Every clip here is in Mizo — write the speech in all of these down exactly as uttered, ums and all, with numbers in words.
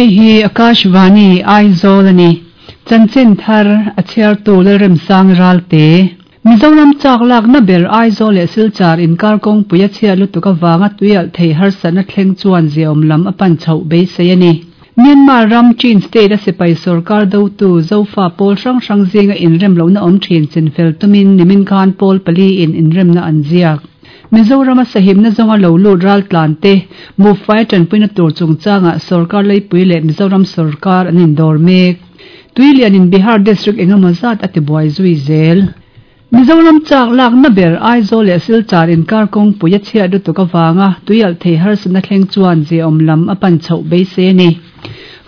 Hei hi Akashvani Aizawl a ni. Chanchin thar a chhiartu Lalremsang Ralte. Mizoram chak lakna ber Aizawl leh Silchar inkar kawngpui a chhiat lutuk avanga tuialh thei harsatna thleng chuan ziaawm lam a pan chhoh beisei a ni. Myanmar ram Chin State a sipai sorkar dotu Zofa pawl hrang hrang zinga inrem lohna awm thin chinfel tumin nimin khan pawl pali in inremna an ziak. Mizoram a sahimna zawnga lo lut ral tlan te buhfai tanpuina tur chungchangah sorkar leipui leh Mizoram sorkar an indawr mek. Tuilian in Bihar district engemaw zat a tibuai zui zel. Mizoram chak lakna ber Aizawl leh Silchar inkar kawngpui a chhiat lutuk avanga tuialh thei harsatna thleng chuan ziaawm lam a pan chhoh beisei a ni.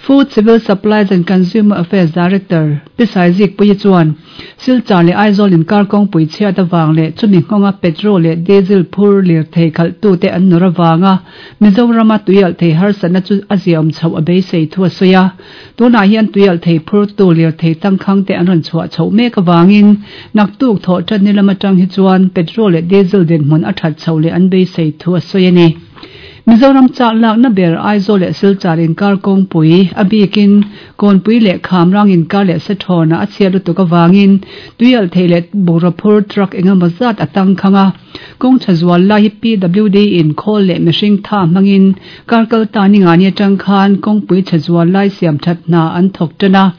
Food, Civil Supplies and Consumer Affairs Director Pi Saizikpuii chuan Silchar leh Aizawl inkar kawngpui chhiat avang leh chumi nghawnga petrol leh diesel phur lirthei khalhtute an nawr avanga Mizorama tuialh thei harsatna chu a ziaawm chhoh a beisei thu a sawi a. Tunah hian tuialh thei phurtu lirthei tangkhangte an rawn chhuah chhoh mek avangin naktuk thawh tan ni lam atang hi chuan petrol leh diesel dinhmun a that chhoh leh an beisei thu a sawi a ni. Mizoram chak lakna ber Aizawl leh Silchar inkar kawngpui a bikin Kawnpui leh Khamrang inkar leh Sethawna a chhiat lutuk avangin tuialh thei leh bungraw phur truck engemaw zat a tangkhang a. Kawng tha zual lai hi P W D in khawl leh mihring tha hmangin kar kal ta ni ngani atang khan kawngpui tha zual lai siam that hna an thawk tan a.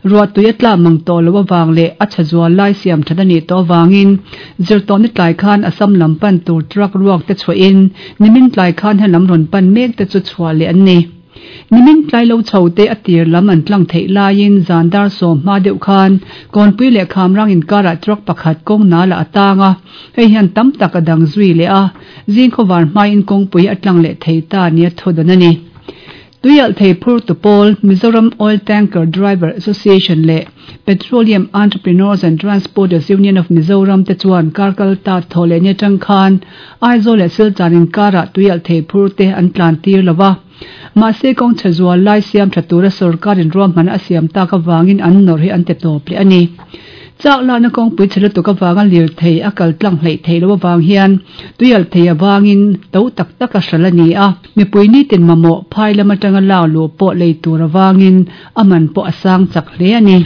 Ruahtui a tla mang tawh lo awang leh a tha zual lai siam that ani tawh awangin zirtawh ni tlai khan Assam lam pan tur truck ruak te chhuahin nimin tlai khan helam rawn pan mek te chu chhuah leh an ni. Nimin tlai lo chho te a tir lam an tlang theih laiin zandar sawm hma deuh khan Kawnpui leh Khamrang inkarah truck pakhat kawng nala a tang a, hei hian tam tak a dang zui leh a, zing khawvar hmain kawngpui a tlang leh thei ta nia thu dan a ni. Tuialh thei phurtu pawl Mizoram Oil Tanker Driver Association leh Petroleum Entrepreneurs and Transporters Union of Mizoram te chuan kar kal ta thaw leh ni atang khan Aizawl leh Silchar inkarah tuialh thei phur te an tlan tir lo va. Mahse kawng chhe zual lai siam tha tura sorkar in ruahman a siam tak awangin an nawr hi an ti tawp leh a ni. Chak lakna kawngpui chhe lutuk awanga lir thei a kal tlang hleih thei lo awang hian tuialh thei awangin to tak tak a hral a ni a. Mipui ni tin mamawh phai lam atanga lak luh pawh lei tur awangin a man pawh a sang chak hle a ni.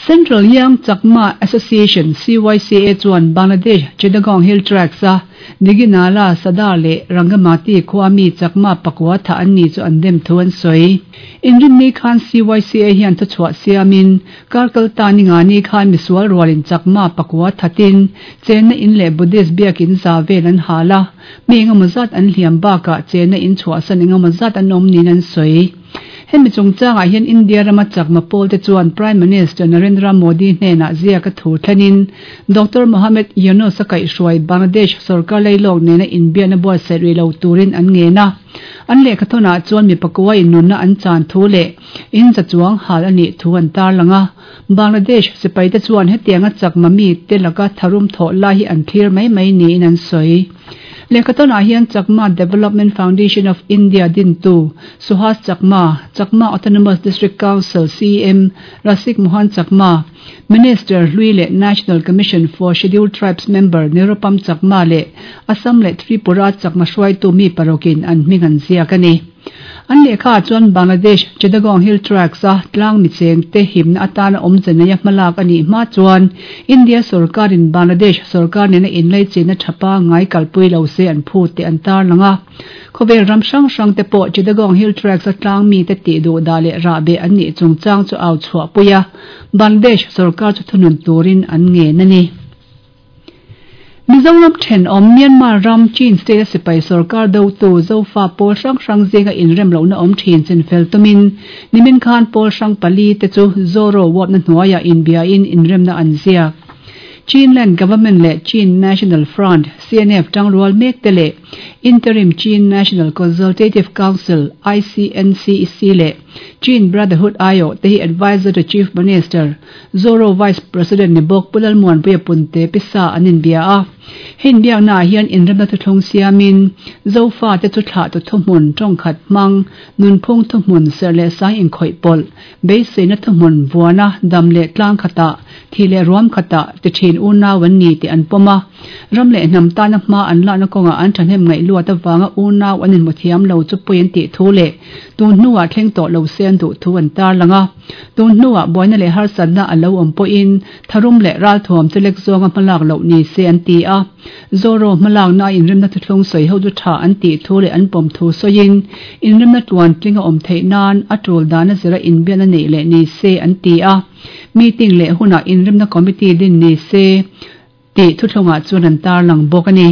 Central Young Chakma Association C Y C A chuan Bangladesh Chittagong Hill Tracts a Diginala Sadar leh Rangamati khua mi Chakma pakua tha an ni chu an dem thu an sawi. Inrin ni khan C Y C A hian thu chhuah siamin karkal ta ni nga ni khan misual rualin Chakma pakua thatin chenna in leh Buddhist biakin za vel an hala mi engemaw zat an hliam bakah chenna in chhuah san engemaw zat an awm nin an sawi. Hemi chungchangah hian India rama Chakma pawl te chuan Prime Minister Narendra Modi hnenah zia ka thu thlenin Doctor Mohammed Yunus a kaihhruai Bangladesh sarkar leilawk nena inbiakna buatsaih rih lo turin an ngen a. An lehkhathawna chuan mi pakua innunna an chan thu leh in za chuang hal ani thu an tar langa. Bangladesh sipai te chuan hetianga Chakma mi te laka tharum thawh lai hi an thlir mai mai niin an sawi. Lehkhathawna hian Chakma Development Foundation of India dintu Suhas Chakma, Chakma Autonomous District Council C M Rasik Mohan Chakma, Minister Hlui leh National Commission for Scheduled Tribes member Nirupam Chakma leh Assam leh Tripura Chakma hruaitu mi parokin an hming an ziak a ni. An lehkha chuan Bangladesh Chittagong Hill Tracts a tlang mi cheng te himna atana awm chenei a hmalak ani hma chuan India sarkarin Bangladesh sarkar nena inlai chena thapa ngai kalpui lo se an phu te an tar langa. Khawvel ram hrang hrang te pawh Chittagong Hill Tracts a tlang mi te ti duh da leh rah be an nih chungchang chu au chhuah pui a. Bangladesh sarkar chu thunun turin an ngen a ni. Mizoram then awm Myanmar ram Chin State a sipai sarkar dotu Zofa pawl hrang hrang zinga inrem lohna awm thin chinfel tumin nimin khan pawl hrang pali te chu Zoro wapna hnuaia inbiain inremna an ziak. Chinland Government leh Chin National Front C N F tangrual mek te leh Interim Chin National Consultative Council I C N C C leh Chin Brotherhood I O te hi Advisor to Chief Minister Zoro Vice President ni bawk Pu Lalmuanpuia Punte pisa an inbia a. Hein biakna hian inremna thuthlung siamin Zofa te chu thlah tu thuhmun tawngkhat hmang nunphung thuhmun ser leh sang inkhawih pawlh beiseina thuhmun vuana dam leh tlang khata thi leh ruam khata ti thin unau an ni tih an pawm a, ram leh hnam tana hma an lakna kawngah an thahnem ngaih luat avanga unau an inhmu thiam lo chu pawi an tih thu leh tun hnuah thleng tawh lo se an duh thu an tarlang a. Tun hnuah buaina leh harsatna a lo awm pawhin tharum leh ralthuam chu lek zawnga hmalak loh ni se an ti a. Zoro hmalakna a inremna thuthlung sawi ho chu tha an tih thu leh an pawm thu sawiin inremna tluantling a awm theih nan a tul dan a zira inbiakna neih leh ni se an ti a. Meeting leh hunah inremna committee din ni se tih thuthlungah chuan an tarlang bawk a ni.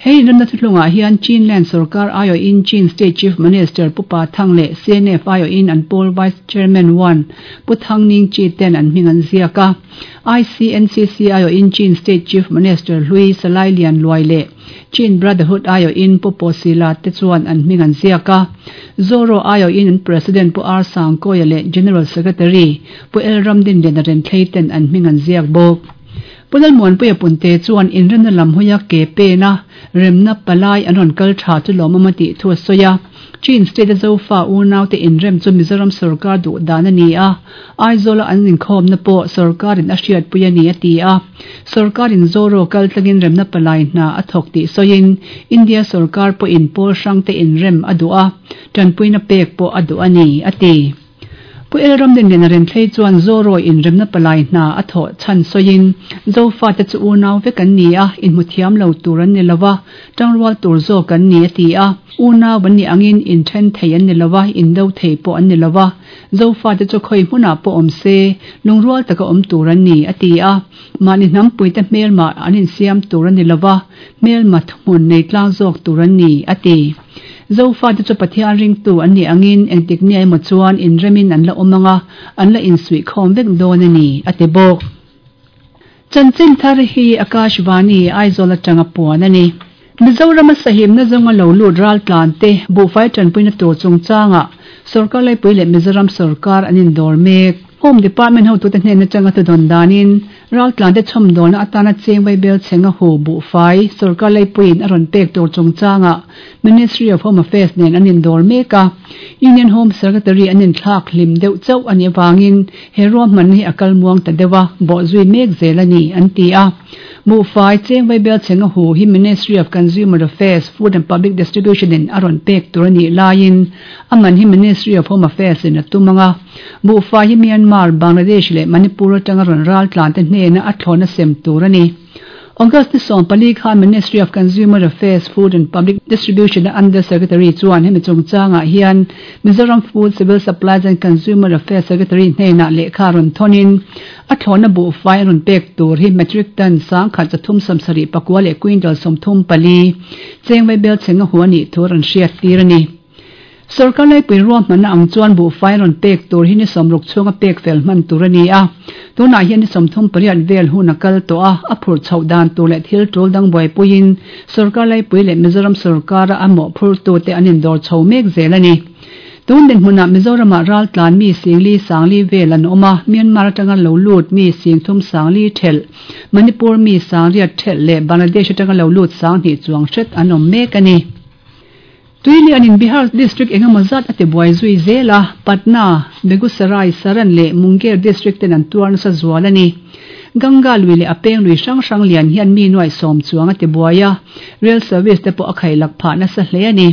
He inremna thuthlungah hian Chinland sorkar aiawhin Chin State Chief Minister Pu Pa Thang leh C N F aiawhin an pawl Vice Chairman one Pu Thang Ning Chi ten an hming an ziak a. I C N C C aiawhin Chin State Chief Minister hlui Salai Lian Luai leh Chin Brotherhood aiawhin Pu Posila te chuan an hming an ziak a. Zoro aiawhin an President Pu R Sangkawia leh General Secretary Pu El Ramdin Liana Renthlei ten an hming an ziak bawk. Pu Lalmuanpuia Punte chuan inremna lam hawia ke pena remna palai an rawn kal tha chu lawmawm a tih thu a sawi a. Chin State a Zofa unaute inrem chu Mizoram sorkar duh dan a ni a, Aizawla an inkhawmna pawh sorkarin a hriatpui a ni a ti a. Sorkarin Zoro kal tlangin remna palai hna a thawk tih sawiin India sorkar pawhin pawl hrangte inrem a duh a, tanpuina pek pawh a duh a ni a ti. Pu El Ramdinliana Renthlei chuan Zoro inremna palai hna a thawh chhan sawiin Zofate chu unau vek an ni a, inhmu thiam lo tur an ni lo a, tangrual tur zawk an ni a ti a. Unau an nih angin inthen thei an ni lo a, indo thei pawh an ni lo a, Zofate chu khawi hmunah pawh awm se lungrual taka awm tur an ni a ti a. Mahni hnampuite hmelma an insiam tur a ni lo a, hmelma thuhmun nei tlang zawk tur an ni a ti. Zofate chu Pathian ringtu an nih angin engtik ni emaw chuan inremin an la awm anga, an la insuihkhawm vek dawn a ni a ti bawk. Chanchin thar hi Akashvani Aizawl atanga puan a ni. Mizorama sahimna zawnga lo lut raltlante buhfai tanpuina tur chungchanga sorkar laipui leh Mizoram sorkar an indawr mek. Home Department hotute hnen atanga thudawn danin raltlante chhawmdawlna atana cheng vaibelchhe nga hu buhfai sorkar laipuiin a rawn pek tur chungchanga Ministry of Home Affairs nen an indawr mek a. Union Home Secretary an inthlak hlim deuh chauh a nih avangin he ruahmanna hi a kal muang ta deuh a, bawhzui mek zel a ni an ti a. Buhfai cheng vaibelchhe nga hu hi Ministry of Consumer Affairs, Food and Public Distribution in a rawn pek tur a nih laiin a man hi Ministry of Home Affairs in a tum anga. Buhfai hi Myanmar, Bangladesh leh Manipur atanga rawn raltlante hnena a thlawna sem tur a ni. August ni sawm pali khan Ministry of Consumer Affairs, Food and Public Distribution Under Secretary chuan hemi chungchangah hian Mizoram Food, Civil Supplies and Consumer Affairs Secretary hnena lehkha rawn thawnin a thlawna buhfai an rawn pek tur hi metric ton sangkhat zathum sawmsarih pakua leh quintal sawmthum pali cheng vaibelchhe nga hu a nih thu rawn hriat tir a ni. Sorkar laipui ruahmanna ang chuan buhfai an rawn pek tur hi ni sawmruk chhunga pek fel hman tur a ni a. Tunah hian ni sawmthum pariat vel hun a kal tawh a, a phurh chhoh dan tur leh thil tul dang buaipuiin sorkar laipui leh Mizoram sorkara a mawhphurtute an indawr chho mek zel a ni. Tun dinhmunah Mizoramah raltlan mi singli sangli vel an awm a, Myanmar atanga lo lut mi singthum sangli thelh, Manipur mi sangriat thelh leh Bangladesh atanga lo lut sanghnih chuang hret an awm mek a ni. Tuilianin Bihar district engemaw zat a tibuai zui zel a, Patna, Begusarai, Saran leh Munger district ten an tuar nasa zual a ni. Ganga lui leh a peng lui hrang hrang lian hian mi nuai sawm chuang a tibuai a, rail service te pawh a khailak phah nasa hle a ni.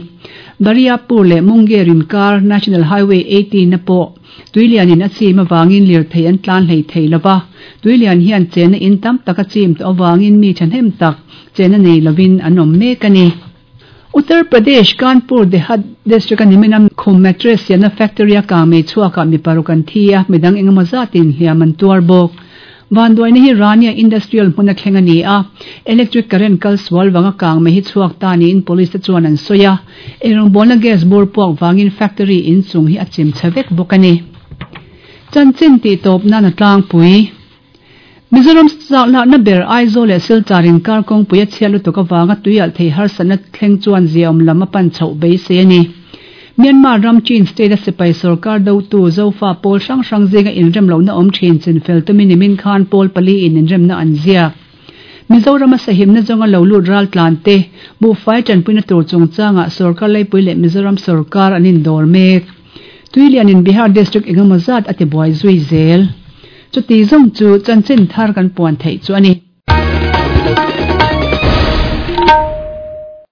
Bariyapur leh Munger inkar National Highway eighteen na pawh tuilianin a chim avangin lirthei an tlan hlei thei lova, tuilian hian chenna in tam tak a chim tawh avangin mi thahnem tak chenna nei lovin an awm mek a ni. Uttar Pradesh Kanpur Dehat district a nimin a khum mattress siamna factory a kangmei chhuakah mi paruk an thi a, midang engemaw zatin hliam an tuar bawk. Vanduaina hi Rania Industrial hmun a thleng a ni a, electric current kal sual wanga kangmei hi chhuak ta niin police te chuan an sawi a. Eirawngbawlna gas bur puak vangin factory inchung hi a chim chhe vek bawk a ni. Chanchin tih tawp nan a tlangpui. Mizoram lakna ber Aizawl leh Silchar inkar kawngpui a chhiat lutuk avanga tuialh thei harsatna thleng chuan ziaawm lam a pan chhoh beisei a ni. Myanmar ram Chin State a sipai sorkar dotu Zofa pawl hrang hrang zinga inrem lohna awm thin chinfel tumin nimin khan pawl pali in inremna an ziak. Mizorama sahimna zawnga lo lut raltlante buhfai tanpuina tur chungchanga sorkar laipui leh Mizoram sorkar an indawr mek. Tuilianin Bihar district engemaw zat a tibuai zui zel. Chuti zawng chu chanchin thar kan puan theih chu a ni.